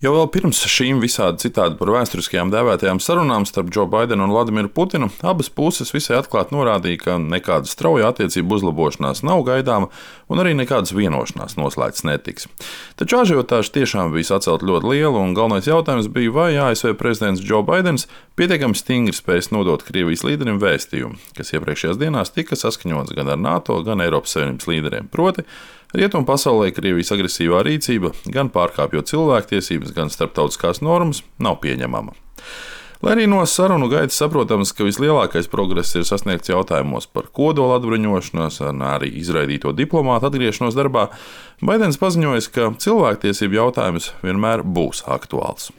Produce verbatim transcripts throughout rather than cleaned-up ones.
Jau vēl pirms šīm visādi citādi par vēsturiskajām dēvētajām sarunām starp Džo Baidenu un Vladimiru Putinu, abas puses visai atklāti norādīja, ka nekāda strauja attiecību uzlabošanās nav gaidāma un arī nekādas vienošanās noslēgts netiks. Taču ažiotāža tiešām bija sacelt ļoti liela, un galvenais jautājums bija, vai A S V prezidents Džo Baidens pietiekami stingri spēs nodot Krievijas līderim vēstījumu, kas iepriekšējās dienās tika saskaņots gan ar NATO, gan Eiropas Savienības līderiem. Proti, rietumu pasaulē Krievijas agresīvā rīcība, gan pārkāpjot cilvēktiesības, gan starptautiskās normas, nav pieņemama. Lai arī no sarunu gaitas saprotams, ka vislielākais progress ir sasniegts jautājumos par kodola atbruņošanos un arī izraidīto diplomātu atgriešanos darbā, Baidens paziņoja, ka cilvēktiesību jautājums vienmēr būs aktuāls.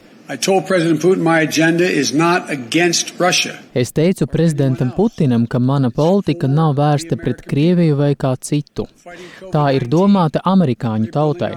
Es teicu prezidentam Putinam, ka mana politika nav vērsta pret Krieviju vai kā citu. Tā ir domāta amerikāņu tautai.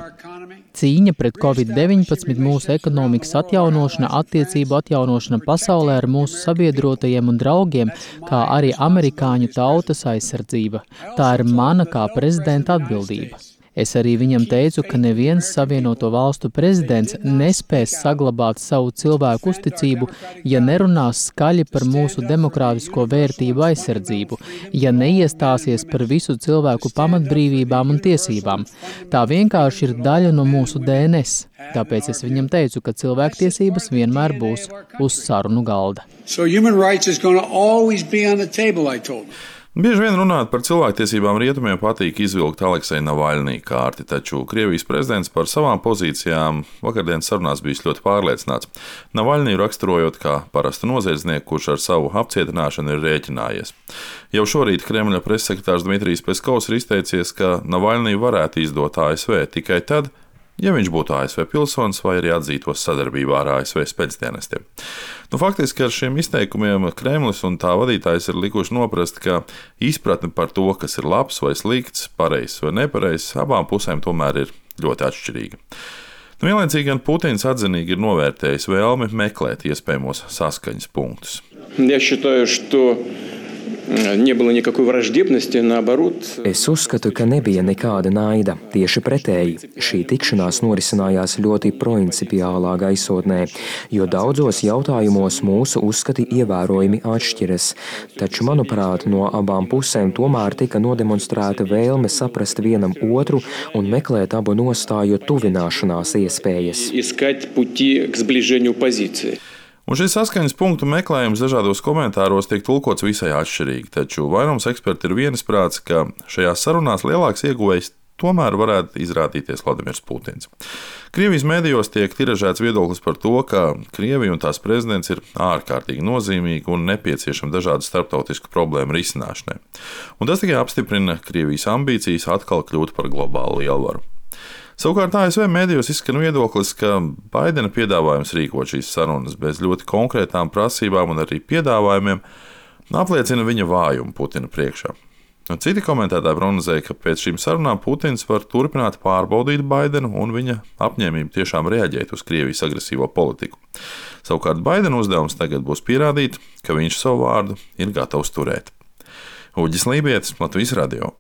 Cīņa pret covid deviņpadsmit, mūsu ekonomikas atjaunošana, attiecību atjaunošana pasaulē ar mūsu sabiedrotajiem un draugiem, kā arī amerikāņu tautas aizsardzība. Tā ir mana kā prezidenta atbildība. Es arī viņam teicu, ka neviens Savienoto Valstu prezidents nespēs saglabāt savu cilvēku uzticību, ja nerunās skaļi par mūsu demokrātisko vērtību aizsardzību, ja neiestāsies par visu cilvēku pamatbrīvībām un tiesībām. Tā vienkārši ir daļa no mūsu D N S. Tāpēc es viņam teicu, ka cilvēktiesības vienmēr būs uz sarunu galda. So human rights is going to always be on the table, I told him. Bieži vien runāt par cilvēktiesībām rietumiem patīk izvilkt Aleksei Navalnī kārti, taču Krievijas prezidents par savām pozīcijām vakardienas sarunās bijis ļoti pārliecināts. Navalnī raksturojot kā parastu noziedznieku, kurš ar savu apcietināšanu ir rēķinājies. Jau šorīt Kremļa pressekretārs Dmitrijs Peskovs ir izteicies, ka Navalnī varētu izdot A S V tikai tad, ja viņš būtu A S V pilsonis vai arī atzītos sadarbībā ar A S V spēcdienestiem. Nu, faktiski ar šiem izteikumiem Kremlis un tā vadītājs ir likuši noprast, ka izpratne par to, kas ir labs vai slikts, pareizs vai nepareizs, abām pusēm tomēr ir ļoti atšķirīga. Nu, vienlaicīgi gan Putins atzinīgi ir novērtējis vēlmi meklēt iespējamos saskaņas punktus. Я считаю, что не было никакой враждебности, наоборот. Es uzskatu, ka nebija nekāda naida. Tieši pretēji, šī tikšanās norisinājās ļoti principiālā gaisotnē, jo daudzos jautājumos mūsu uzskati ievērojami atšķiras. Taču, manuprāt, no abām pusēm tomēr tika nodemonstrēta vēlme saprast vienam otru un meklēt abu nostāju tuvināšanās iespējas. Искать пути к сближению позиций. Un šis saskaņas punktu meklējums dažādos komentāros tiek tulkots visai atšķirīgi, taču vairums eksperti ir vienisprāts, ka šajās sarunās lielāks ieguvējs tomēr varētu izrādīties Vladimirs Putins. Krievijas mēdījos tiek tiražēts viedoklis par to, ka Krievija un tās prezidents ir ārkārtīgi nozīmīgi un nepieciešami dažādu starptautisku problēmu risināšanai. Un tas tikai apstiprina Krievijas ambīcijas atkal kļūt par globālu lielvaru. Savukārt A S V mēdījos izskan viedoklis, ka Baidena piedāvājums rīkot šīs sarunas bez ļoti konkrētām prasībām un arī piedāvājumiem apliecina viņa vājumu Putina priekšā. Un citi komentētāji prognozēja, ka pēc šīm sarunām Putins var turpināt pārbaudīt Baidenu un viņa apņēmību tiešām reaģēt uz Krievijas agresīvo politiku. Savukārt Baidena uzdevums tagad būs pierādīt, ka viņš savu vārdu ir gatavs turēt. Uģis Lībietis, Latvijas radio.